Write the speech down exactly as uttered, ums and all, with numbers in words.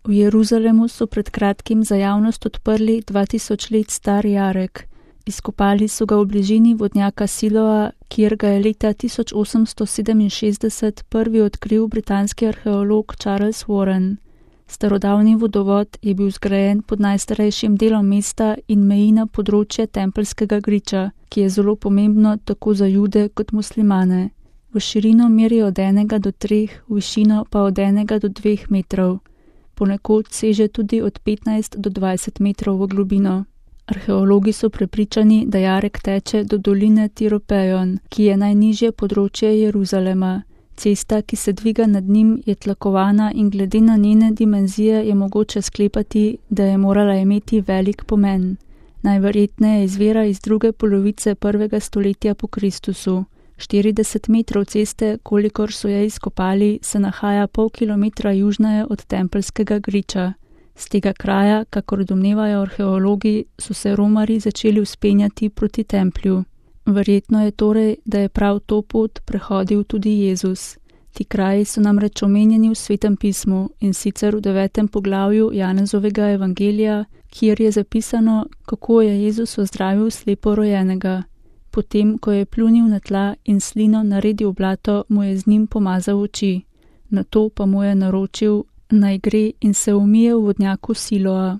V Jeruzalemu so pred kratkim za javnost odprli dva tisoč let star jarek. Izkopali so ga v bližini vodnjaka Siloa, kjer ga je leta tisoč osemsto sedeminšestdeset prvi odkril britanski arheolog Charles Warren. Starodavni vodovod je bil zgrajen pod najstarejšim delom mesta in meji na področje Tempeljskega griča, ki je zelo pomembno tako za Jude kot muslimane. V širino meri od enega do treh, v višino pa od enega do dveh metrov. Ponekod seže tudi od petnajst do dvajset metrov v globino. Arheologi so prepričani, da jarek teče do doline Tiropejon, ki je najnižje področje Jeruzalema. Cesta, ki se dviga nad njim, je tlakovana in glede na njene dimenzije je mogoče sklepati, da je morala imeti velik pomen. Najverjetneje izvira iz druge polovice prvega stoletja po Kristusu. štirideset metrov ceste, kolikor so je izkopali, se nahaja pol kilometra južneje od Tempeljskega griča. Z tega kraja, kakor domnevajo arheologi, so se romarji začeli vzpenjati proti templju. Verjetno je torej, da je prav to pot prehodil tudi Jezus. Ti kraji so namreč omenjeni v Svetem pismu, in sicer v devetem poglavju Janezovega evangelija, kjer je zapisano, kako je Jezus ozdravil sleporojenega. Potem, ko je pljunil na tla in slino naredil blato, mu je z njim pomazal oči. Nato pa mu je naročil, naj gre in se umije v vodnjaku Siloa.